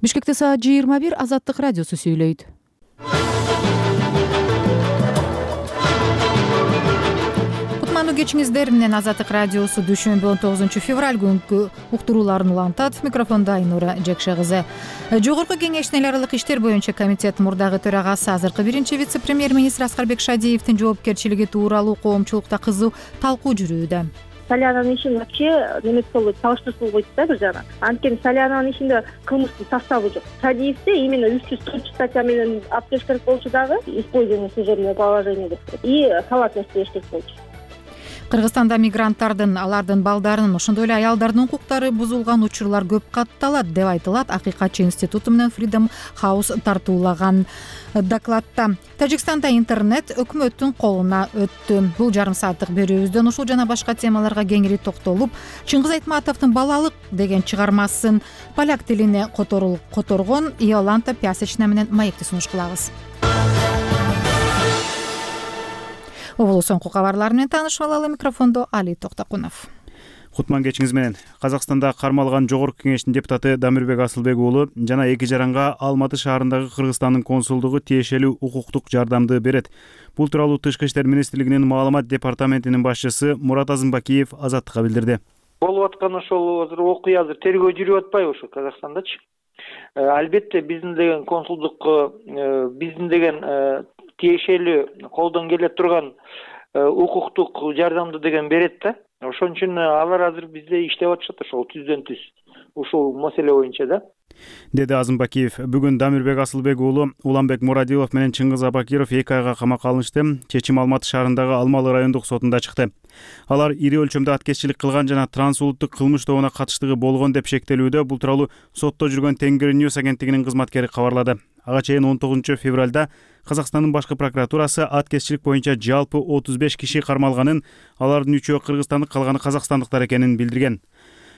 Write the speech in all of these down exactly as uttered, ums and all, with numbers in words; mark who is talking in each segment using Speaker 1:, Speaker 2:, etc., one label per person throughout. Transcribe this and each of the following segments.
Speaker 1: Бишкекте саат жыйырма бир. Азаттык радиосу сүйлөйт. Кутмандуу кечиңиздер менен Азаттык радиосу дүйшөмбү он тогузунчу февраль күнкү уктурууларын улантат. Микрофондо Айнура Жекше кызы. Жогорку Кеңештин эл аралык иштер боюнча комитет мурдагы төрагасы, азыркы биринчи вице-премьер-министр Аскарбек Шадиевдин жоопкерчилиги тууралуу коомчулукта кызуу талкуу жүрүүдө.
Speaker 2: Салянанын ишин вообще неме болбойт, салыштырсыз болбойт да бир жагынан. Анткени Салянанын ишинде кылмыштын составы жок. Шадиевде именно үч жүз төрт статья менен алып келиш керек болчу дагы, использование служебного положения деп и халатность бериш керек болчу.
Speaker 1: Кыргызстанда мигранттардын, алардын балдарынын, ошондой эле аялдардын укуктары бузулган учурлар көп катталат деп айтылат Акыйкатчы институту менен Freedom House тартуулаган докладта. Тажикстанда интернет өкмөттүн колуна өттү. Бул жарым сааттык берүүбүздөн ушул жана башка темаларга кеңири токтолуп, Чыңгыз Айтматовдун «Балалык» деген чыгармасын поляк тилине которгон Иоланта Пясечна менен маекти сунуш кылабыз. Оболу соңку кабарлар менен таанышып алалы. Микрофондо Али Токтокунов.
Speaker 3: Кутман кечиңиз менен. Казакстанда кармалган Жогорку Кеңештин депутаты Дамирбек Асылбек уулу жана эки жаранга Алматы шаарындагы Кыргызстандын консулдугу тиешелүү укуктук жардамды берет. Бул тууралуу Тышкы иштер министрлигинин маалымат департаментинин башчысы Мурат Азымбакиев Азаттыкка билдирди.
Speaker 4: Болуп аткан ошол азыр окуя азыр тергөө жүрүп атпайбы ошо Казакстандачы? Албетте биздин деген консулдукка биздин деген тиешелүү колдон келе турган укуктук жардамды деген берет да. Ошон үчүн алар азыр бизде иштеп атышат ошол түздөн түз ушул маселе боюнча да,
Speaker 3: деди Азымбакиев. Бүгүн Дамирбек Асылбек уулу Уланбек Мурадилов менен Чыңгыз Абакиров эки айга камакка алынышты. Чечим Алматы шаарындагы Алмалы райондук сотунда чыкты. Алар ири өлчөмдө аткезчилик кылган жана трансулуттук кылмыш тобуна катыштыгы болгон деп шектелүүдө. Бул тууралуу сотто жүргөн Тенгири Ньюс агенттигинин кызматкери кабарлады. Ага чейин он тогузунчу февралда Казакстандын башкы прокуратурасы аткезчилик боюнча жалпы отуз беш киши кармалганын, алардын үчөө кыргызстандык, калганы казакстандыктар экенин билдирген.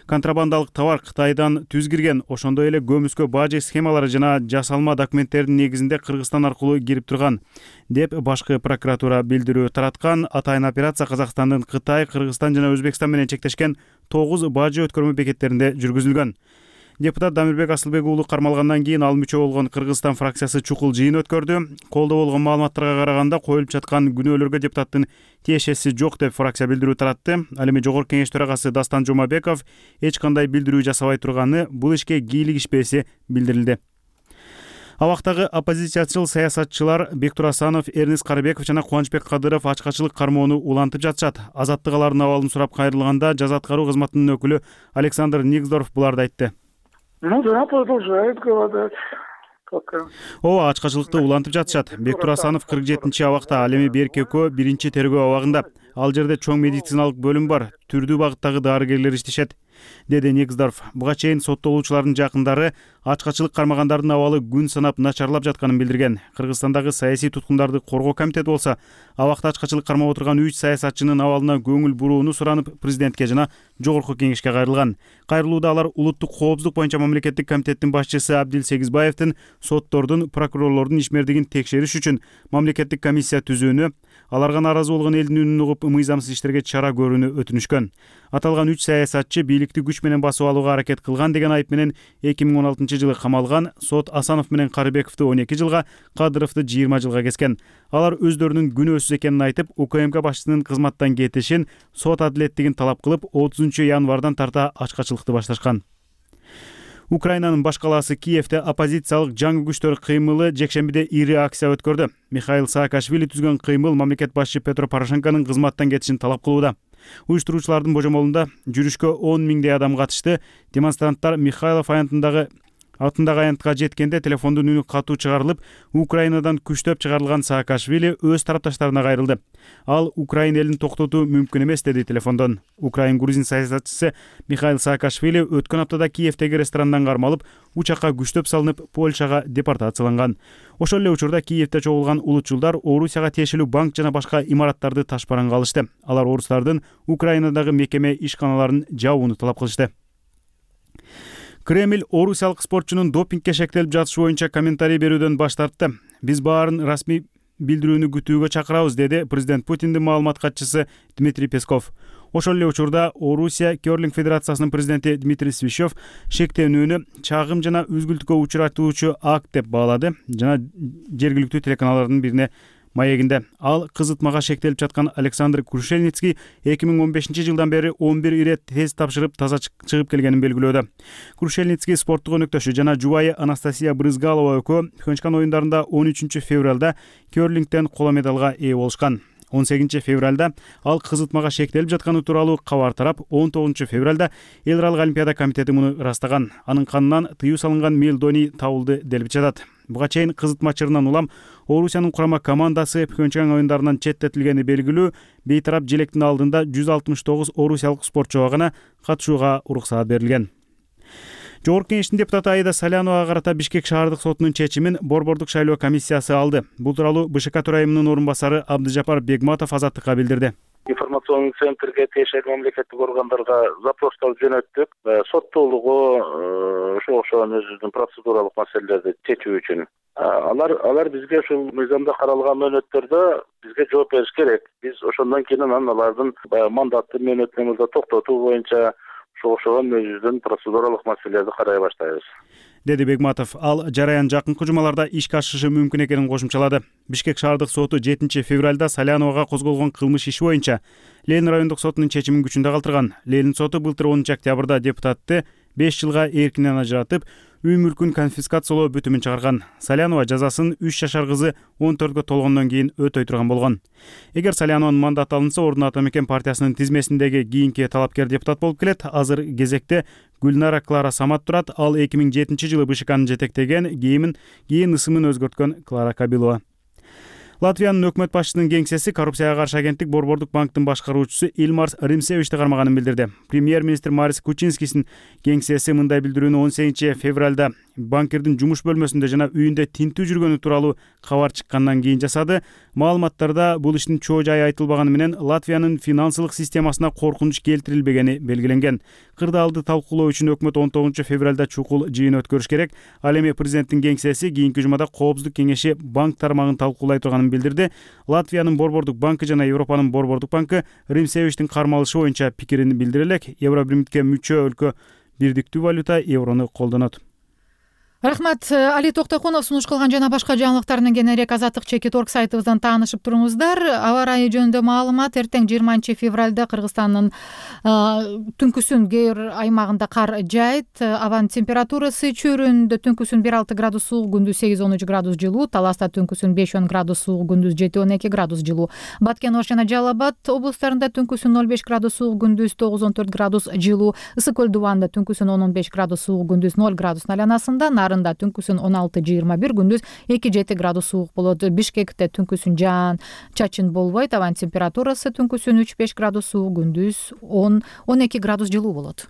Speaker 3: Контрабандалык товар Кытайдан түз кирген, ошондой эле көмүскө бажы схемалары жана жасалма документтердин негизинде Кыргызстан аркылуу кирип турган деп башкы прокуратура билдирүү тараткан. Атайын операция Казакстандын Кытай, Кыргызстан жана Өзбекстан менен чектешкен тогуз бажы өткөрмө бекеттеринде жүргүзүлгөн. Депутат Дамирбек Асылбек уулу кармалгандан кийин ал мүчө болгон Кыргызстан фракциясы чукул жыйын өткөрдү. Колдо болгон маалыматтарга караганда коюлуп жаткан күнөөлөргө депутаттын тиешеси жок деп фракция билдирүү таратты. Ал эми Жогорку Кеңеш төрагасы Дастан Жумабеков эч кандай билдирүү жасабай турганы, бул ишке кийлигишпеси билдирилди. Абактагы оппозициячыл саясатчылар Бектур Асанов, Эрнис Карыбеков жана Кубанычбек Кадыров ачкачылык кармоону улантып жатышат. Азаттык алардын абалын сурап кайрылганда жаза аткаруу кызматынын өкүлү Александр Нигздорф буларды айтты.
Speaker 5: Ну да, продолжает голодать.
Speaker 3: Ооба, ачкачылыкты улантып жатышат. Бектур Асанов кырк жетинчи абакта, ал эми Берки экөө биринчи тергөө абагында. Ал жерде чоң медициналык бөлүм бар, түрдүү багыттагы дарыгерлер иштешет, деди Нигздорф. Буга чейин соттолуучулардын жакындары ачкачылык кармагандардын абалы күн санап начарлап жатканын билдирген. Кыргызстандагы саясий туткундарды коргоо комитети болсо, абакта ачкачылык кармап отурган үч саясатчынын абалына көңүл бурууну суранып, президентке жана Жогорку Кеңешке кайрылган. Кайрылууда алар улуттук коопсуздук боюнча мамлекеттик комитеттин башчысы Абдил Сегизбаевдин соттордун, прокурорлордун ишмердигин текшериш үчүн мамлекеттик комиссия түзүүнү, аларга нааразы болгон элдин үнүн угуп мыйзамсыз иштерге чара көрүүнү өтүнүшкөн. Аталган үч саясатчы бийликти күч менен басып алууга аракет кылган деген айып менен эки миң он алтынчы жылы камалган. Сот Асанов менен Карыбековду он эки жылга, Кадыровду жыйырма жылга kesкен. Алар өздөрүнүн күнөөсүз экенин айтып, УКМК башчысынын кызматтан кетишин, сот адилеттигин талап кылып, отузунчу январдан тарта ачкачылыкты башташкан. Украинанын баш калаасы Киевде оппозициялык жаңы күчтөр кыймылы жекшембиде ири акция өткөрдү. Михаил Саакашвили түзгөн кыймыл мамлекет башчы Петро Порошенконун кызматтан кетишин талап кылууда. Уюштуруучулардын божомолунда жүрүшкө он миңдей адам катышты. Демонстранттар Михайлов аянтындагы атындагы аянтка жеткенде телефондун үнү катуу чыгарылып, Украинадан күчтөп чыгарылган Саакашвили өз тарапташтарына кайрылды. Ал Украин элин токтотуу мүмкүн эмес деди телефондон. Украин грузин саясатчысы Михаил Саакашвили өткөн аптада Киевдеги ресторандан кармалып, учакка күчтөп салынып, Польшага депортацияланган. Ошол эле учурда Киевде чогулган улутчулдар Орусияга тиешелүү банк жана башка имараттарды ташпаранга алышты. Алар орустардын Украинадагы мекеме ишканаларын жабууну талап кылышты. Кремль орусиялык спортчунун допингге шектелип жатышы боюнча комментарий берүүдөн баш тартты. Биз баарын расмий билдирүүнү күтүүгө чакырабыз, деди президент Путиндин маалымат катчысы Дмитрий Песков. Ошол эле учурда Орусия Керлинг Федерациясынын президенти Дмитрий Свищев шектенүүнү чагым жана үзгүлтүккө учуратуучу акт деп баалады жана жергиликтүү телеканалдардын бирине маегинде. Ал кызытмага шектелип жаткан Александр Крушельницкий эки миң он бешинчи жылдан бери он бир ирет тест тапшырып таза чыгып келгенин белгилөөдө. Крушельницкий спорттук өнөктөшү жана жубайы Анастасия Брызгалова экөө Пхенчхан оюндарында он үчүнчү февралда керлингден коло медалга ээ болушкан. он сегизинчи февралда ал кызытмага шектелип жатканы тууралуу кабар тарап, он тогузунчу февралда эл аралык олимпиада комитети муну ырастаган. Анын канынан тыюу салынган мелдоний табылды делип жатат. Буга чейин кызытма чырынан улам Орусиянын курама командасы Пхенчхан оюндарынан четтетилгени белгилүү. Бейтарап желектин алдында жүз алтымыш тогуз орусиялык спортчуга гана катышууга уруксаат берилген. Жогорку Кеңештин депутаты Аида Саляновага карата Бишкек шаардык сотунун чечимин Борбордук шайлоо комиссиясы алды. Бул тууралуу БШК төрайымынын орун басары Абдыжапар Бегматов Азаттыкка билдирди.
Speaker 6: Информационный центрге тиешелүү мамлекеттик органдарга запростор жөнөттүк. Соттуулугу ошого окшогон өзүнүн процедуралык маселелерди чечүү үчүн. Алар алар бизге ушул мыйзамда каралган мөөнөттөрдө бизге жооп бериш керек. Биз ошондон кийин анан алардын мандатты мөөнөтүн мурда токтотуу боюнча окшогон өзүбүздүн процедуралык маселелерди карай баштайбыз,
Speaker 3: деди Бегматов. Ал жараян жакынкы жумаларда ишке ашышы мүмкүн экенин кошумчалады. Бишкек шаардык соту жетинчи февралда Саляновага козголгон кылмыш иши боюнча Ленин райондук сотунун чечимин күчүндө калтырган. Ленин соту былтыр онунчу октябрда депутатты беш жылга эркинен ажыратып, үй мүлкүн конфискациялоо бүтүмүн чыгарган. Салянова жазасын үч жашар кызы он төрткө толгондон кийин өтөй турган болгон. Эгер Салянованын мандаты алынса, ордуна Ата Мекен партиясынын тизмесиндеги кийинки талапкер депутат болуп келет. Азыр кезекте Гүлнара Клара Самат турат. Ал эки миң жетинчи жылы БШКны жетектеген, кийин кийин ысымын өзгөрткөн Клара Кабилова. Латвиянын өкмөт башчысынын кеңсеси коррупцияга каршы агенттик Борбордук банктын башкаруучусу Илмарс Римсевичти кармаганын билдирди. Премьер-министр Марис Кучинскийдин кеңсеси мындай билдирүүнү он сегизинчи февралда банкирдин жумуш бөлмөсүндө жана үйүндө тинтүү жүргөнү тууралуу кабар чыккандан кийин жасады. Маалыматтарда бул иштин чоо жайы айтылбаганы менен Латвиянын финансылык системасына коркунуч келтирилбегени белгиленген. Кырдаалды талкуулоо үчүн өкмөт он тогузунчу февралда чукул жыйын өткөрүш керек. Ал эми президенттин кеңсеси кийинки жумада Коопсуздук кеңеши банк тармагын талкуулай турганын билдирди. Латвиянын Борбордук банкы жана Европанын Борбордук банкы Римсевичтин кармалышы боюнча пикирин билдире элек. Евробиримдикке мүчө өлкө бирдиктүү валюта еврону колдонот.
Speaker 1: Рахмат. Али Токтокунов сунуш кылган жана башка жаңылыктар менен кененирээк азаттык чеки торг сайтыбыздан таанышып туруңуздар. Аба ырайы жөнүндө маалымат: эртең жыйырманчы февралда Кыргызстандын түнкүсүн кээ бир аймагында кар жаайт. Абанын температурасы чөйрөндө түнкүсүн бир алты градус суук, күндүз сегиз он үч градус жылуу, Таласта түнкүсүн беш он градус суук, күндүз жети он эки градус жылуу. Баткен, Ош жана Жалал Абад облустарында түнкүсүн ноль беш градус суук, күндүз тогуз он төрт градус жылуу. Ысык көл Дубанда түнкүсүн он он беш градус суук, күндүз ноль градус айланасында. Түнкүсүн он алты жыйырма бир, күндүз эки жети градус суук болот. Бишкекте түнкүсүн жаан чачын болбойт. Абанын температурасы түнкүсүн үч беш градус суук, күндүз он он эки градус жылуу болот.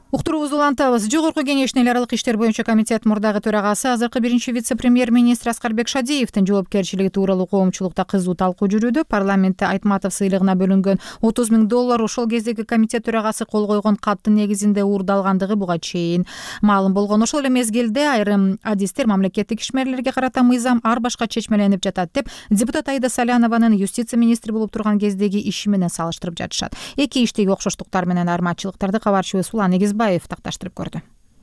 Speaker 1: Уктуруубузду улантабыз. Жогорку Кеңештин эл аралык иштер боюнча комитет мурдагы төрагасы, азыркы биринчи вице-премьер-министр Аскарбек Шадиевдин жоопкерчилиги тууралуу коомчулукта кызуу талкуу жүрүүдө. Парламентте Айтматов сыйлыгына бөлүнгөн отуз миң доллар ошол кездеги комитет төрагасы кол койгон каттын негизинде уурдалгандыгы буга чейин маалым болгон. Ошол эле мезгилде айрым адистер мамлекеттик ишмерлерге карата мыйзам ар башка чечмеленип жатат деп депутат Аида Салянованын юстиция министри болуп турган кездеги иши менен салыштырып жатышат. Эки иштеги окшоштуктар менен айырмачылыктарды кабарчыбыз Улан Эгизбаев такташтырып көрдү.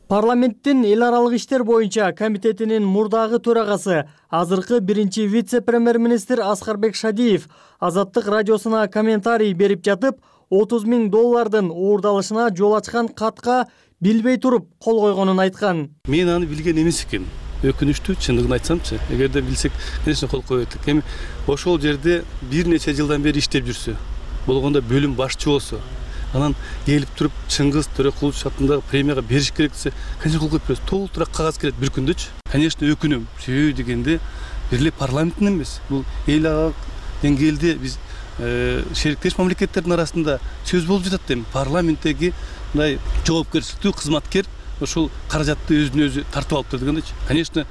Speaker 7: Парламенттин эл аралык иштер боюнча комитетинин мурдагы төрагасы, азыркы биринчи вице-премьер-министр Аскарбек Шадиев Азаттык радиосуна комментарий берип жатып, отуз миң доллардын уурдалышына жол ачкан катка билбей туруп кол койгонун айткан.
Speaker 8: Мен аны билген эмес экен. Өкүнүчтүү, чындыгын айтсамчы, эгерде билсек, конечно, кол коет элек. Эми ошол жерде бир нече жылдан бери иштеп жүрсө, болгондо бөлүм башчы болсо, анан келип туруп Чыңгыз Төрөкулович атындагы премияга бериш керек десе, конечно, кол коюп берет. Толтура кагаз келет бир күндөчү. Конечно, өкүнөм. Себеби дегенде бир эле парламенттин эмес, бул эл аралык деңгээлде биз шериктеш мамлекеттердин арасында сөз болуп жатат эми. Парламенттеги мындай жоопкерчиликтүү кызматкер ошол каражатты өзүнө өзү тартып алыптыр дегендечи. Конечно,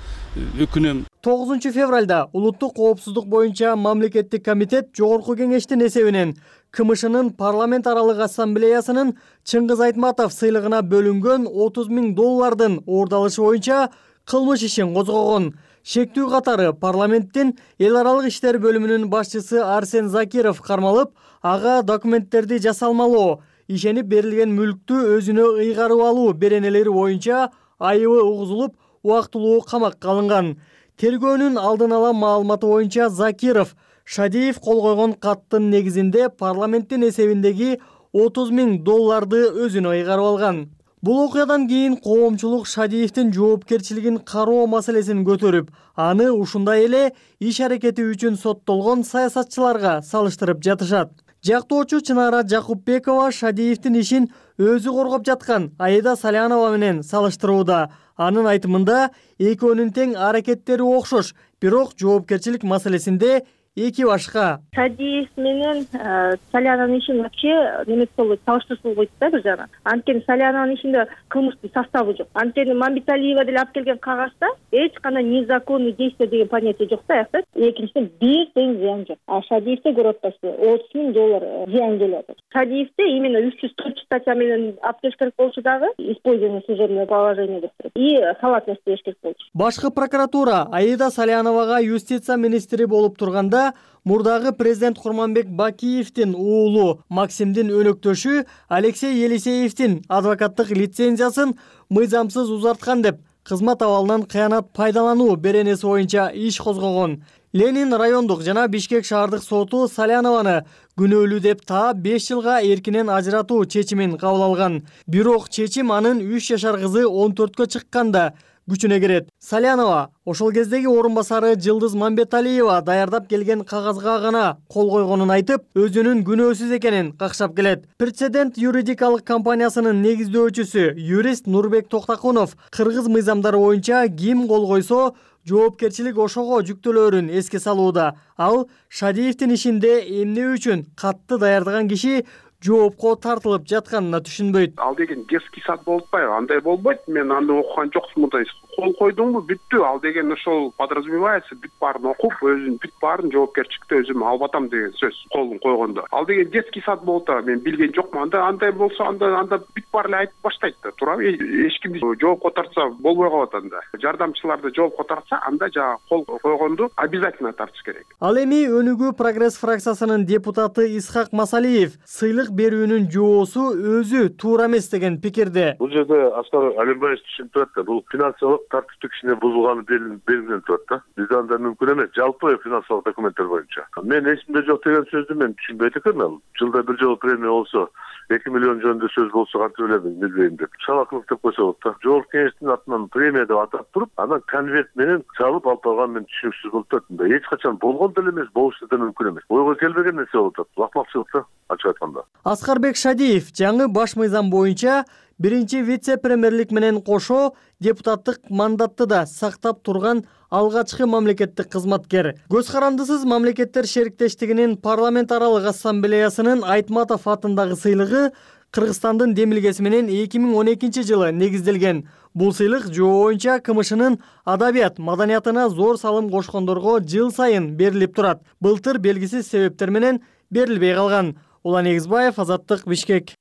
Speaker 8: өкүнөм.
Speaker 7: тогузунчу февралда улуттук коопсуздук боюнча мамлекеттик комитет жогорку кеңештин эсебинен КМШнын парламент аралык ассамблеясынын Чыңгыз Айтматов сыйлыгына бөлүнгөн отуз миң доллардын оордалышы боюнча кылмыш ишин козгогон. Шектүү катары парламенттин эл аралык иштер бөлүмүнүн башчысы Арсен Закиров кармалып, ага документтерди жасалмалоо, ишенип берилген мүлктү өзүнө ыйгарып алуу беренелери боюнча айыбы угузулуп, убактылуу камакка алынган. Тергөөнүн алдын ала маалыматы боюнча Закиров Шадиев кол койгон каттын негизинде парламенттин эсебиндеги отуз миң долларды өзүнө ыйгарып алган. Бул окуядан кийин коомчулук Шадиевдин жоопкерчилигин кароо маселесин көтөрүп, аны ушундай эле иш аракети үчүн соттолгон саясатчыларга салыштырып жатышат. Жактоочу Чынара Жакупбекова Шадиевдин ишин өзү коргоп жаткан Аида Салянова менен салыштырууда. Анын айтымында экөөнүн тең аракеттери окшош, бирок жоопкерчилик маселесинде эки башка.
Speaker 2: Шадиев менен Салянанын ишин вообще неме болот, салыштырсуу болбойт да бир жагынан. Анткени Салянанын ишинде кылмыштын составы жок. Анткени Мамбеталиева деле алып келген кагазда эч кандай незаконный действие деген понятие жок да аяқта. Экинчиден бир тең зыян жок. А Шадиевде көрүп атпайсызбы, отуз миң доллар зыян келет. Шадиевде именно үч жүз төрт статья менен алып келиш керек болчу дагы, использование служебного положения деп туруп. И халатность деш керек болчу.
Speaker 7: Башкы прокуратура Аида Саляновага юстиция министри болуп турганда мурдагы президент Курманбек Бакиевдин уулу Максимдин өнөктөшү Алексей Елисеевдин адвокаттык лицензиясын мыйзамсыз узарткан деп кызмат абалынан кыянат пайдалануу беренеси боюнча иш козгогон. Ленин райондук жана Бишкек шаардык соту Салянованы күнөөлүү деп таап беш жылга эркинен ажыратуу чечимин кабыл алган. Бирок чечим анын үч жашар кызы он төрткө чыкканда күчүнө кирет. Салянова ошол кездеги орун басары Жылдыз Мамбеталиева даярдап келген кагазга гана кол койгонун айтып, өзүнүн күнөөсүз экенин какшап келет. Прецедент юридикалык компаниясынын негиздөөчүсү юрист Нурбек Токтакунов кыргыз мыйзамдары боюнча ким кол койсо жоопкерчилик ошого жүктөлөрүн эске салууда. Ал Шадиевдин ишинде эмне үчүн катты даярдаган киши жоопко тартылып жатканына түшүнбөйт.
Speaker 9: Ал деген детский сад болуп атпайбы? Андай болбойт. Мен аны окуган жокмун мындай. Кол койдуңбу, бүттү. Ал деген ошол подразумевается, бүт баарын окуп, өзүн бүт баарын жоопкерчиликте өзүм алып атам деген сөз. Колун койгондо. Ал деген детский сад болуп атат. Мен билген жокмун. Анда андай болсо, анда анда бүт баары эле айтып баштайт да. Туурабы? Эч кимди жоопко тартса болбой калат анда. Жардамчыларды жоопко тартса, анда жана кол койгонду обязательно тартыш керек.
Speaker 7: Ал эми Өнүгүү прогресс фракциясынын депутаты Исхак Масалиев сыйлык берүүнүн жоосу өзү туура эмес деген пикирде.
Speaker 6: Бул жерде Аскар Алимбаевич түшүнүп турат да, бул финансылык тартиптик кишине бузулганы белгиленип турат да. Бизде анда мүмкүн эмес, жалпы финансылык документтер боюнча. Мен эсимде жок деген сөздү мен түшүнбөйт экенмин. Жылда бир жолу премия болсо, эки миллион жөнүндө сөз болсо кантип элем билбейм деп. Шалакылык деп койсо болот да. Жогорку кеңештин атынан премия деп атап туруп, анан конверт менен чалып алып алган мен түшүнүксүз болуп атат. Эч качан болгон деле эмес, болушу да мүмкүн эмес. Ойго келбеген нерсе болуп атат. Акмакчылык да, ачык айтканда.
Speaker 7: Аскарбек Шадиев жаңы баш мыйзам боюнча биринчи вице-премьерлик менен кошо депутаттык мандатты да сактап турган алгачкы мамлекеттик кызматкер. Көз карандысыз мамлекеттер шериктештигинин парламент аралык ассамблеясынын Айтматов атындагы сыйлыгы Кыргызстандын демилгеси менен эки миң он экинчи жылы негизделген. Бул сыйлык жоо боюнча КМШнын адабият маданиятына зор салым кошкондорго жыл сайын берилип турат. Былтыр белгисиз себептер менен берилбей калган. Улан Эгизбаев, Азаттык, Бишкек.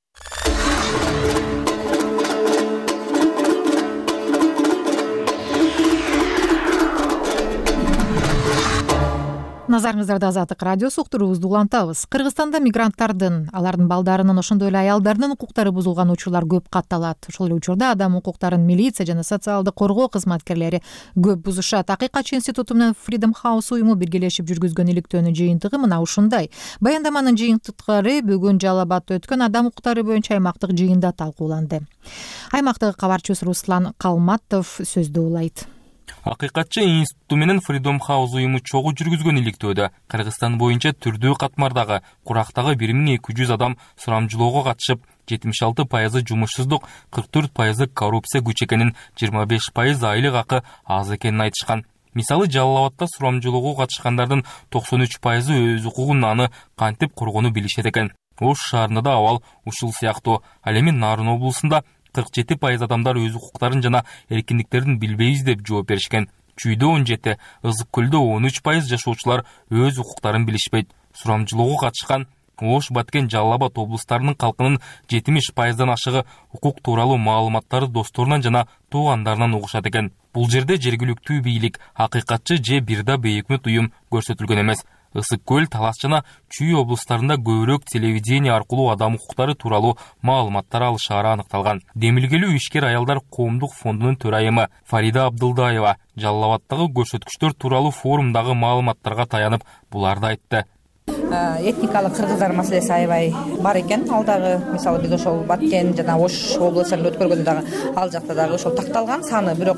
Speaker 1: Назарыңыздарда Азаттык радиосу уктуруубузду улантабыз. Кыргызстанда мигранттардын, алардын балдарынын, ошондой эле аялдардын укуктары бузулган учурлар көп катталат. Ошол эле учурда адам укуктарын милиция жана социалдык коргоо кызматкерлери көп бузушат. Акыйкатчы институту менен Freedom House уюму биргелешип жүргүзгөн иликтөөнүн жыйынтыгы мына ушундай. Баяндаманын жыйынтыктары бүгүн Жалал Абадта өткөн адам укуктары боюнча аймактык жыйында талкууланды. Аймактык кабарчыбыз Руслан Калматов сөздү улайт.
Speaker 10: Акыйкатчы институту менен Freedom House уюму чогуу жүргүзгөн иликтөөдө Кыргызстан боюнча түрдүү катмардагы курактагы бир миң эки жүз адам сурамжылоого катышып, жетимиш алты пайызы жумушсуздук, кырк төрт пайызы коррупция күч экенин, жыйырма беш пайыз айлык акы аз экенин айтышкан. Мисалы, Жалал Абадта сурамжылоого катышкандардын токсон үч пайызы өз укугун аны кантип коргону билишет экен. Ош шаарында да абал ушул сыяктуу. Ал эми Нарын облусунда кырк жети пайыз адамдар өз укуктарын жана эркиндиктерин билбейбиз деп жооп беришкен. Чүйдө он жети, Ызык көлдө он үч пайыз жашоочулар өз укуктарын билишпейт. Сурамжылоого катышкан Ош, Баткен, Жалал Абад облустарынын калкынын жетимиш пайыздан ашыгы укук тууралуу маалыматтарды досторунан жана туугандарынан угушат экен. Бул жерде жергиликтүү бийлик, акыйкатчы же бирда бейөкмөт уюм көрсөтүлгөн эмес. Ысык көл, Талас жана Чүй облустарында көбүрөөк телевидение аркылуу адам укуктары тууралуу маалыматтар алышаары аныкталган. Демилгелүү ишкер аялдар коомдук фондунун төрайымы Фарида Абдылдаева Жалал Абаддагы көрсөткүчтөр тууралуу форумдагы маалыматтарга таянып буларды айтты.
Speaker 11: Этникалык кыргыздар маселеси аябай бар экен. Ал дагы мисалы биз ошол Баткен жана Ош областарында өткөргөндө дагы ал жакта дагы ошол такталган саны, бирок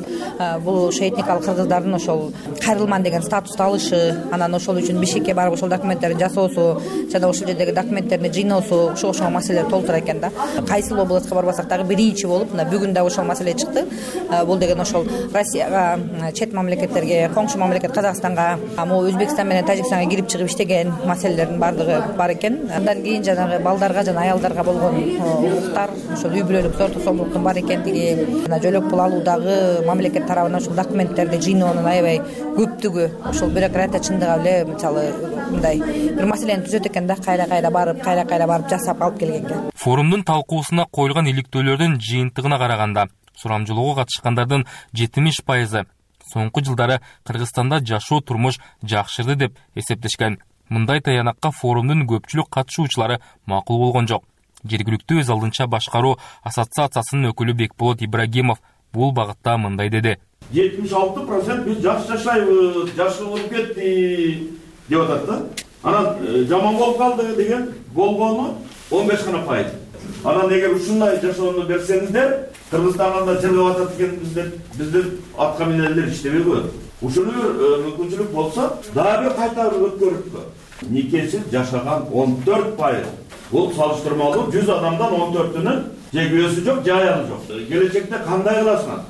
Speaker 11: бул ошо этникалык кыргыздардын ошол кайрылман деген статусту алышы, анан ошол үчүн Бишкекке барып ошол документтерди жасоосу жана ошол жердеги документтерди жыйноосу ошо ошол маселелер толтура экен да. Кайсыл областка барбасак дагы биринчи болуп мына бүгүн дагы ошол маселе чыкты. Бул деген ошол Россияга, чет мамлекеттерге, коңшу мамлекет Казакстанга, могу Өзбекстан менен Тажикстанга кирип чыгып иштеген маселелердин баардыгы бар экен. Андан кийин жанагы балдарга жана аялдарга болгон укуктар, ошол үй бүлөлүк зор тосолдуктун бар экендиги, жана жөлөк пул алуудагы мамлекет тарабынан ошол документтерди жыйноонун аябай көптүгү, ошол бюрократия чындыгы эле мисалы мындай бир маселени түзөт экен да, кайра-кайра барып, кайра-кайра барып жасап алып келген экен.
Speaker 10: Форумдун талкуусуна коюлган иликтөөлөрдүн жыйынтыгына караганда, сурамжылоого катышкандардын жетимиш пайызы соңку жылдары Кыргызстанда жашоо турмуш жакшырды деп эсептешкен. Мындай таянакка форумдун көпчүлүк катышуучулары макул болгон жок. Жергиликтүү өз алдынча башкаруу ассоциациясынын өкүлү Бекболот Ибрагимов бул багытта мындай деди.
Speaker 12: жетимиш алты процент биз жакшы жашайбыз, жакшы болуп кетти деп атат да. Анан жаман болуп калды деген болгону он беш гана пайыз. Анан эгер ушундай жашоону берсеңиздер, Кыргызстанда чыргап атат экенбиздер, биздин атка минелер иштебей коет. Ушуну мүмкүнчүлүк болсо, дагы бир кайта өткөрүпкө. Никесиз жашаган он төрт пайыз. Бул салыштырмалуу жүз адамдан он төртүнүн же күйөөсү жок, же аялы жок. Келечекте кандай кыласыңар?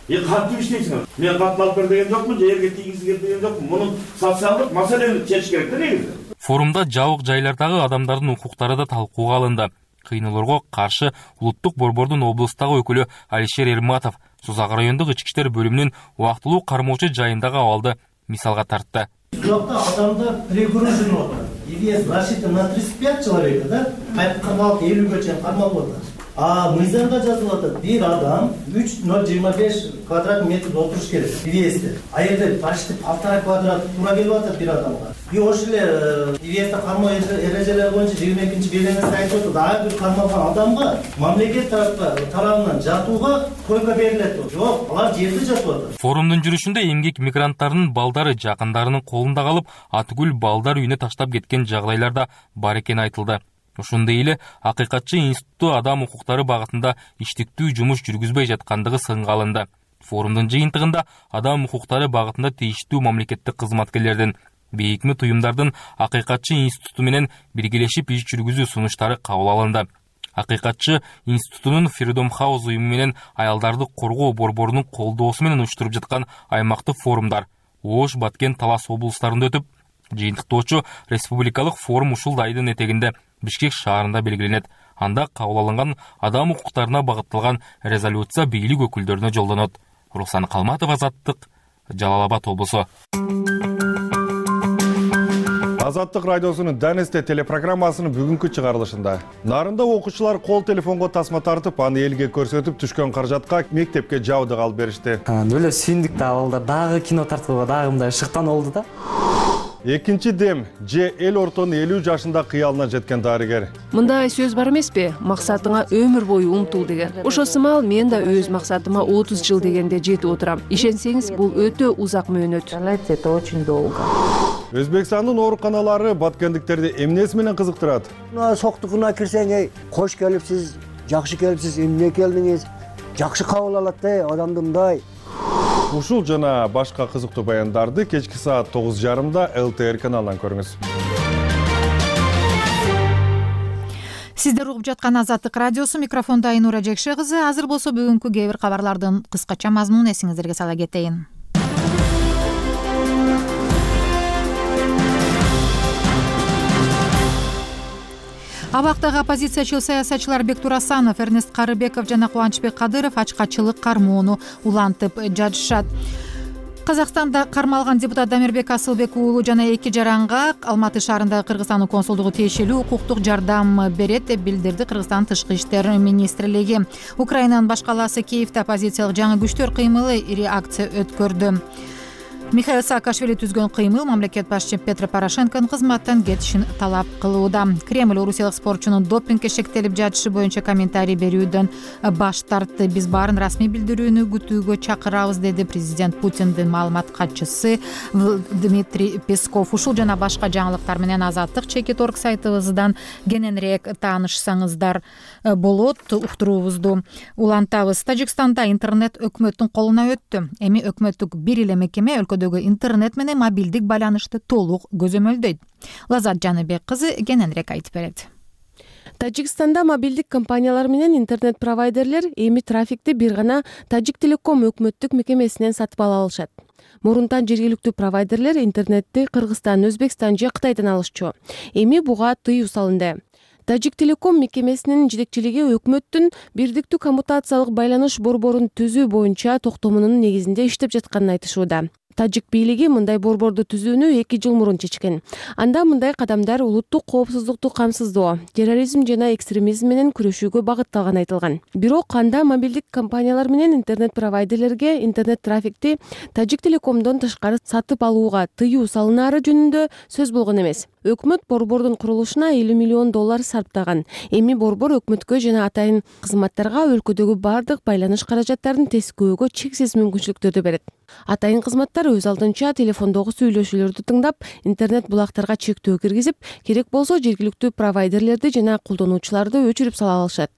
Speaker 12: Е кантип иштейсиңер? Мен катын алып бер деген жокмун, же жерге тийгизгер деген жокмун. Мунун социалдык маселени чечиш керек да негизи.
Speaker 10: Форумда жабык жайлардагы адамдардын укуктары да талкууга алынды. Кыйноолорго каршы улуттук борбордун облустагы өкүлү Алишер Эрматов Сузак райондук ички иштер бөлүмүнүн убактылуу кармоочу жайындагы абалды мисалга тартты.
Speaker 13: Жакта адамдар перегружен болот. Идея рассчитана на тридцать пять человек, да? кырк алты элүүгө чейин кармалып атат. А мыйзамда жазылып атат, бир адам үч ноль жыйырма беш квадрат метр отуруш керек. Идеясында. А жерде почти полтора квадрат туура келип атат бир адамга. И ошол эле идеясында кармоо эрежелери боюнча жыйырма экинчи белгиленмеси айтып атат, дагы бир кармалган адамга мамлекет тарабынан жатууга койка берилет. Жок, алар жерде жатып атат.
Speaker 10: Форумдун жүрүшүндө эмгек мигранттарынын балдары жакындарынын колунда калып, Атыгүл балдар үйүнө таштап кеткен жагдайлар да бар экени айтылды. Ошондой эле Акыйкатчы институту адам укуктары багытында иштиктүү жумуш жүргүзбөй жаткандыгы сынга алынды. Форумдун жыйынтыгында адам укуктары багытында тийиштүү мамлекеттик кызматкерлердин, бейөкмөт уюмдардын Акыйкатчы институту менен биргелешип иш жүргүзүү сунуштары кабыл алынды. Акыйкатчы институтунун Freedom House уюму менен аялдарды коргоо борборунун колдоосу менен уюштуруп жаткан аймактык форумдар Ош, Баткен, Талас облустарында өтүп, жыйынтыктоочу республикалык форум ушул айдын этегинде Бишкек шаарында белгиленет. Анда кабыл алынган адам укуктарына багытталган резолюция бийлик өкүлдөрүнө жолдонот. Руслан Калматов, Азаттык, Жалал Абад облусу.
Speaker 14: Азаттык радиосунун Данесте телепрограммасынын бүгүнкү чыгарылышында Нарында окуучулар кол телефонго тасма тартып, аны элге көрсөтүп түшкөн каражатка мектепке жабдык алып беришти.
Speaker 15: Өлө сүйүндүк да балдар, дагы кино тартууга дагы мындай шыктан болду да.
Speaker 14: Экинчи дем же эл ортонун элүү жашында кыялына жеткен дарыгер.
Speaker 16: Мындай сөз бар эмеспи? Максатыңа өмүр бою умтул деген. Ошо сымал мен да өз максатыма отуз жыл дегенде жетип отурам. Ишенсеңиз, бул өтө узак мөөнөт.
Speaker 11: Это очень долго.
Speaker 14: Өзбекстандын ооруканалары баткендиктерди эмнеси менен кызыктырат?
Speaker 17: Соктукуна кирсең, эй, кош келипсиз, жакшы келипсиз, эмне келдиңиз? Жакшы кабыл алат да, адамды мындай.
Speaker 14: Ушул жана башка кызыктуу баяндарды кечки саат тогуз жарымда эл тэ эр каналынан көрүңүз.
Speaker 1: Сиздер угуп жаткан Азаттык радиосу, микрофондо Айнура Жекше кызы. Азыр болсо бүгүнкү кээ бир кабарлардын кыскача мазмунун эсиңиздерге сала кетейин. Абактагы оппозициячыл саясатчылар Бектур Асанов, Эрнест Карыбеков жана Кубанычбек Кадыров ачкачылык кармоону улантып жатышат. Казакстанда кармалган депутат Дамирбек Асылбек уулу жана эки жаранга Алматы шаарындагы Кыргызстандын консулдугу тиешелүү укуктук жардам берет деп билдирди Кыргызстан Тышкы иштер министрлиги. Украинанын баш калаасы Киевде оппозициялык жаңы күчтөр кыймылы ири акция өткөрдү. Михаил Саакашвили түзгөн кыймыл мамлекет башчы Петро Порошенконун кызматтан кетишин талап кылууда. Кремль орусиялык спортчунун допингге шектелип жатышы боюнча комментарий берүүдөн баш тартты. Биз баарын расмий билдирүүнү күтүүгө чакырабыз, деди президент Путиндин маалымат катчысы Дмитрий Песков. Ушул жана башка жаңылыктар менен Азаттык чекит орг сайтыбыздан кененирээк таанышсаңыздар болот. Уктуруубузду улантабыз. Тажикстанда интернет өкмөттүн колуна өттү. Эми өкмөттүк бир эле мекеме өлкөдөгү интернет менен мобилдик байланышты толук көзөмөлдөйт. Лазат Жаныбек кызы кененирээк айтып берет.
Speaker 16: Тажикстанда мобилдик компаниялар менен интернет провайдерлер эми трафикти бир гана Тажик Телеком өкмөттүк мекемесинен сатып ала алышат. Мурунтан жергиликтүү провайдерлер интернетти Кыргызстан, Өзбекстан же Кытайдан алышчу. Эми буга тыюу салынды. Тажик Телеком мекемесинин жетекчилиги өкмөттүн бирдиктүү коммутациялык байланыш борборун түзүү боюнча токтомунун негизинде иштеп жатканын айтышууда. Тажик бийлиги мындай борборду түзүүнү эки жыл мурун чечкен. Анда мындай кадамдар улуттук коопсуздукту камсыздоо, терроризм жана экстремизм менен күрөшүүгө багытталганы айтылган. Бирок анда мобилдик компаниялар менен интернет провайдерлерге интернет трафикти Тажик Телекомдон тышкары сатып алууга тыюу салынаары жөнүндө сөз болгон эмес. Өкмөт борбордун курулушуна элүү миллион доллар сарптаган. Эми борбор өкмөткө жана атайын кызматтарга өлкөдөгү бардык байланыш каражаттарын тескөөгө чексиз мүмкүнчүлүктөрдү берет. Атайын кызматтар өз алдынча телефондогу сүйлөшүүлөрдү тыңдап, интернет булактарга чектөө киргизип, керек болсо жергиликтүү провайдерлерди жана колдонуучуларды өчүрүп сала алышат.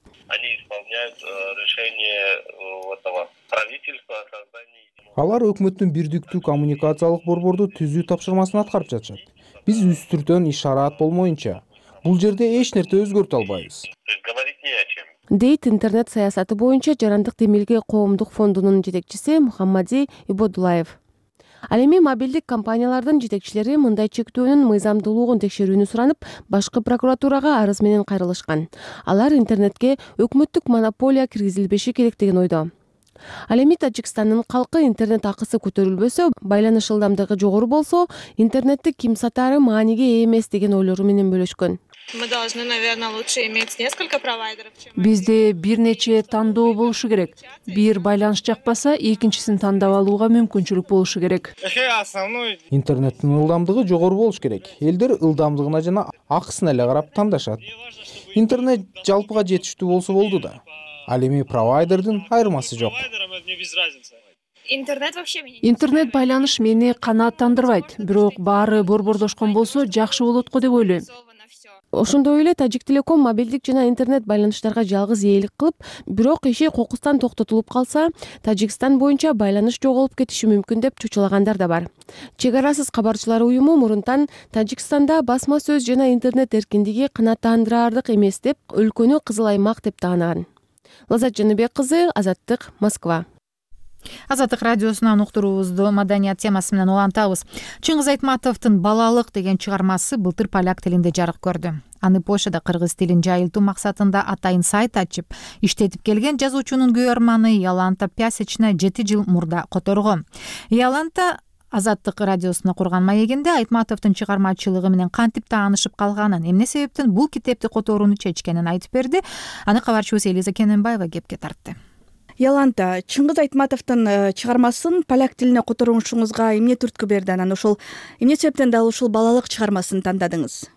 Speaker 18: Алар өкмөттүн бирдиктүү коммуникациялык борборду түзүү тапшырмасын аткарып жатышат. Биз үстүртөн иш-чараат болмоюнча бул жерде эч нерсе өзгөртө албайбыз.
Speaker 16: Дейт интернет саясаты боюнча жарандык демилге коомдук фондунун жетекчиси Мухаммади Ибодулаев. Ал эми мобилдик компаниялардын жетекчилери мындай чектөөнүн мыйзамдуулугун текшерүүнү суранып, башкы прокуратурага арыз менен кайрылышкан. Алар интернетке өкмөттүк монополия киргизилбеши керек деген ойдо. Ал эми Тажикстандын калкы интернет акысы көтөрүлбөсө, байланыш ылдамдыгы жогору болсо, интернетти ким сатаары мааниге ээ эмес деген ойлору менен бөлүшкөн. Бизде бир нече тандоо болушу керек. Бир байланыш жакпаса, экинчисин тандап алууга мүмкүнчүлүк болушу керек.
Speaker 18: Интернеттин ылдамдыгы жогору болуш керек. Элдер ылдамдыгына жана акысына эле карап тандашат. Интернет жалпыга жетиштүү болсо болду да. Ал эми провайдердин айырмасы жок.
Speaker 16: Интернет байланыш мени канааттандырбайт, бирок баары борбордошкон болсо жакшы болот го деп ойлойм. Ошондой эле Тажик Телеком мобилдик жана интернет байланыштарга жалгыз ээлик кылып, бирок иши кокустан токтотулуп калса, Тажикстан боюнча байланыш жоголуп кетиши мүмкүн деп чочулагандар да бар. Чек арасыз кабарчылар уюму мурунтан Тажикстанда басма сөз жана интернет эркиндиги канааттандыраардык эмес деп, өлкөнү кызыл аймак деп таанаган. Лазат Жаныбек кызы, Азаттык, Москва.
Speaker 1: Азаттык радиосунан уктуруубузду маданият темасы менен улантабыз. Чыңгыз Айтматовдун «Балалык» деген чыгармасы былтыр поляк тилинде жарык көрдү. Аны Польшада кыргыз тилин жайылтуу максатында атайын сайт ачып, иштетип келген жазуучунун күйөрманы Яланта Пясечна жети жыл мурда которгон. Яланта Азаттык радиосуна курган маегинде Айтматовдун чыгармачылыгы менен кантип таанышып калганын, эмне себептен бул китепти которууну чечкенин айтып берди. Аны кабарчыбыз Элиза Кененбаева кепке тартты.
Speaker 19: Яланта, Чыңгыз Айтматовдун чыгармасын поляк тилине которушуңузга эмне түрткү берди? Анан ошол эмне себептен дал ушул балалык чыгармасын тандадыңыз?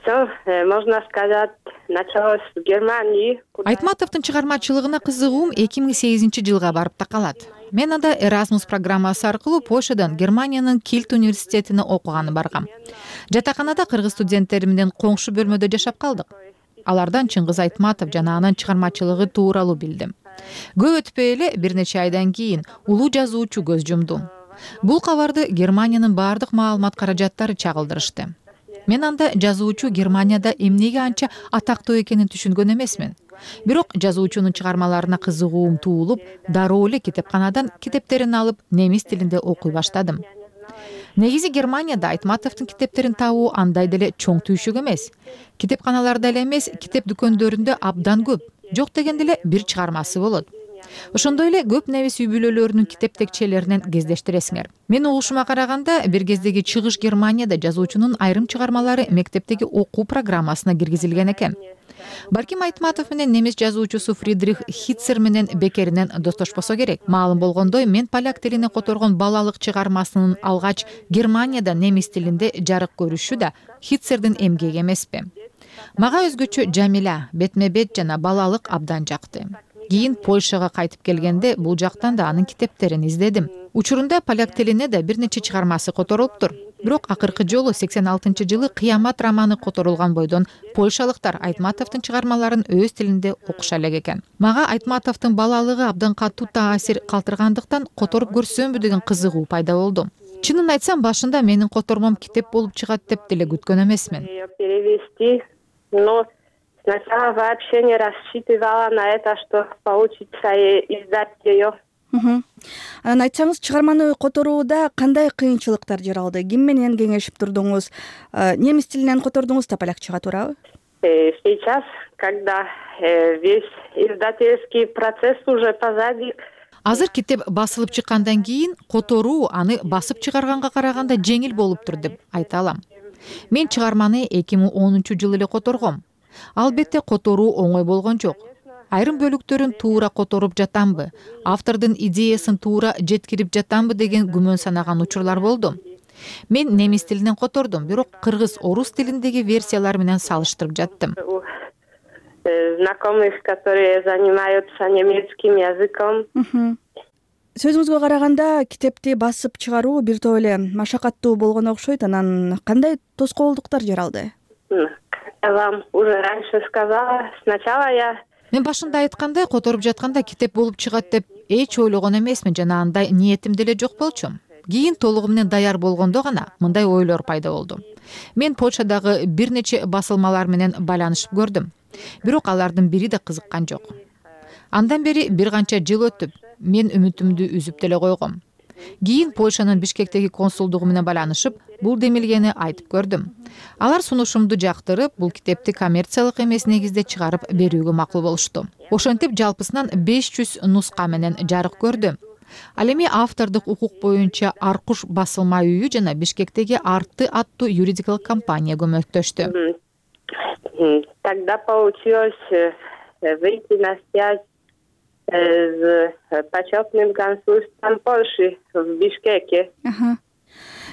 Speaker 2: Можно сказать, началось в Германии.
Speaker 1: Айтматовдун чыгармачылыгына кызыгуум эки миң сегизинчи жылга барып такалат. Мен анда Erasmus программасы аркылуу Польшадан Германиянын Кильт университетине окуганы баргам. Жатаканада кыргыз студенттери менен коңшу бөлмөдө жашап калдык. Алардан Чыңгыз Айтматов жана анын чыгармачылыгы тууралуу билдим. Көп өтпөй эле бир нече айдан кийин улуу жазуучу көз жумду. Бул кабарды Германиянын бардык маалымат каражаттары чагылдырышты. Мен анда жазуучу Германияда эмнеге анча атактуу экенин түшүнгөн эмесмин. Бирок жазуучунун чыгармаларына кызыгуум туулуп, дароо эле китепканадан китептерин алып, немис тилинде окуй баштадым. Негизи Германияда Айтматовдун китептерин табуу андай деле чоң түйшүк эмес. Китепканаларда эле эмес, китеп дүкөндөрүндө абдан көп. Жок дегенде эле бир чыгармасы болот. ошондой эле көп небес үй бүлөлөрүнүн китеп текчелеринен кездештиресиңер. Менин угушума караганда бир кездеги Чыгыш Германияда жазуучунун айрым чыгармалары мектептеги окуу программасына киргизилген экен. Барким Айтматов менен немис жазуучусу Фридрих Хитцер менен бекеринен достошпосо керек. Маалым болгондой, мен поляк тилине которгон балалык чыгармасынын алгач Германияда немис тилинде жарык көрүшү да Хитцердин эмгеги эмеспи. Мага өзгөчө Жамиля, бетме-бет жана балалык абдан жакты. Кийин Польшага кайтып келгенде бул жактан да анын китептерин издедим. Учурунда поляк тилине да бир нече чыгармасы которулуптур. Бирок акыркы жолу сексен алтынчы жылы Кыямат романы которулган бойдон польшалыктар Айтматовдун чыгармаларын өз тилинде окуша элек экен. Мага Айтматовдун балалыгы абдан катуу таасир калтыргандыктан которуп көрсөмбү деген кызыгуу пайда болду. Чынын айтсам, башында менин котормом китеп болуп чыгат деп деле күткөн эмесмин.
Speaker 2: Сначала вообще не рассчитывала на это, что получится издать ее.
Speaker 19: Анан айтсаңыз, чыгарманы которууда кандай кыйынчылыктар жаралды? Ким менен кеңешип турдуңуз? Немис тилинен котордуңуз да полякчага, туурабы?
Speaker 2: Сейчас, когда весь издательский процесс уже позади.
Speaker 1: Азыр китеп басылып чыккандан кийин которуу аны басып чыгарганга караганда жеңил болуптур деп айта алам. Мен чыгарманы эки миң онунчу жылы эле которгом. Албетте которуу оңой болгон жок. Айрым бөлүктөрүн туура которуп жатамбы, автордун идеясын туура жеткирип жатамбы деген күмөн санаган учурлар болду. Мен немис тилинен котордум, бирок кыргыз, орус тилиндеги версиялар менен салыштырып жаттым.
Speaker 2: Знакомых, которые занимаются немецким языком.
Speaker 19: Сөзүңүзгө караганда, китепти басып чыгаруу бир топ эле машакаттуу болгон окшойт. Анан кандай тоскоолдуктар жаралды?
Speaker 2: Я вам уже раньше сказала, сначала я
Speaker 1: Мен башында айткандай, которуп жатканда китеп болуп чыгат деп эч ойлогон эмесмин жана андай ниетим деле жок болчу. Кийин толугу менен даяр болгондо гана мындай ойлор пайда болду. Мен Польшадагы бир нече басылмалар менен байланышып көрдүм. Бирок алардын бири да кызыккан жок. Андан бери бир канча жыл өтүп, мен үмүтүмдү үзүп деле койгом. Кийин Польшанын Бишкектеги консулдугу менен байланышып, бул демилгени айтып көрдүм. Алар сунушумду жактырып, бул китепти коммерциялык эмес негизде чыгарып берүүгө макул болушту. Ошентип жалпысынан беш жүз нуска менен жарык көрдү. Ал эми автордук укук боюнча Аркуш басылма үйү жана Бишкектеги Арты аттуу юридикалык компания көмөктөштү.
Speaker 2: Тогда получилось выйти на связь с почетным консульством Польши в Бишкеке.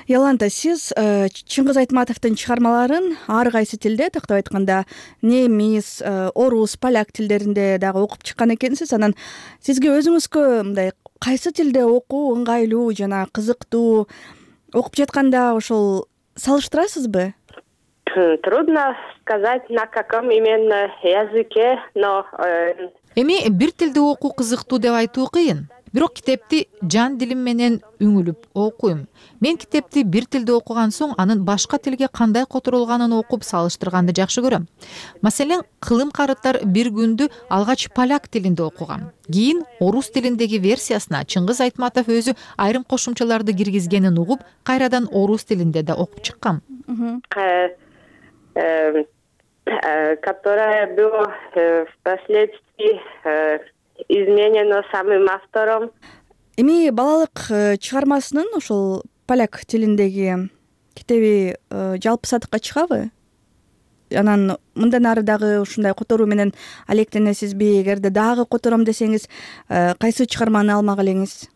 Speaker 19: Яланта, сиз Чыңгыз Айтматовдун чыгармаларын ар кайсы тилде, тактап айтканда немис, орус, поляк тилдеринде дагы окуп чыккан экенсиз. Анан сизге өзүңүзгө мындай кайсы тилде окуу ыңгайлуу жана кызыктуу, окуп жатканда ошол салыштырасызбы?
Speaker 2: Трудно сказать, на каком именно языке, но
Speaker 1: Эми бир тилде окуу кызыктуу деп айтуу кыйын. Бирок китепти жан дилим менен үңүлүп окуйм. Мен китепти бир тилде окуган соң анын башка тилге кандай которулганын окуп салыштырганды жакшы көрөм. Маселен, Кылым карыттар бир күндү алгач поляк тилинде окугам. Кийин орус тилиндеги версиясына Чыңгыз Айтматов өзү айрым кошумчаларды киргизгенин угуп, кайрадан орус тилинде да окуп чыккам.
Speaker 2: Которое было впоследствии изменено самым автором.
Speaker 19: Эми балалык чыгармасынын ошол поляк тилиндеги китеби жалпы сатыкка чыгабы? Анан мындан ары дагы ушундай которуу менен алектенесизби? Эгерде дагы котором десеңиз, кайсы чыгарманы алмак элеңиз?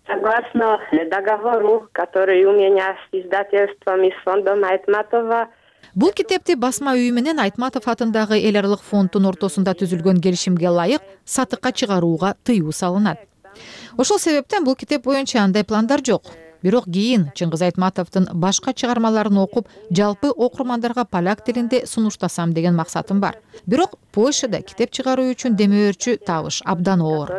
Speaker 2: Согласно договору, который у меня с издательством и с фондом Айтматова.
Speaker 1: Бул китепти басма үйү менен Айтматов атындагы эл аралык фонддун ортосунда түзүлгөн келишимге ылайык сатыкка чыгарууга тыюу салынат. Ошол себептен бул китеп боюнча андай пландар жок. Бирок кийин Чыңгыз Айтматовдун башка чыгармаларын окуп, жалпы окурмандарга поляк тилинде сунуштасам деген максатым бар. Бирок Польшада китеп чыгаруу үчүн демөөрчү табыш абдан оор.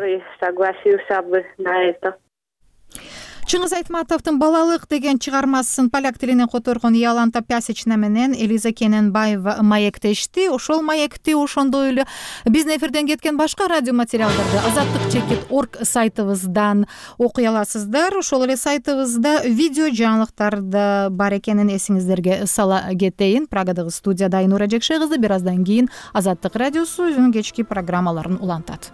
Speaker 1: Чыңгыз Айтматовдун балалык деген чыгармасын поляк тилинен которгон Яланта Пясична менен Элиза Кененбаева маектешти. Ошол маекти ошондой эле биздин эфирден кеткен башка радио материалдарды азаттык чекит точка орг сайтыбыздан окуй аласыздар. Ошол эле сайтыбызда видео жаңылыктар да бар экенин эсиңиздерге сала кетейин. Прагадагы студияда Айнура Жекше кызы бир аздан кийин Азаттык радиосу өзүнүн кечки программаларын улантат.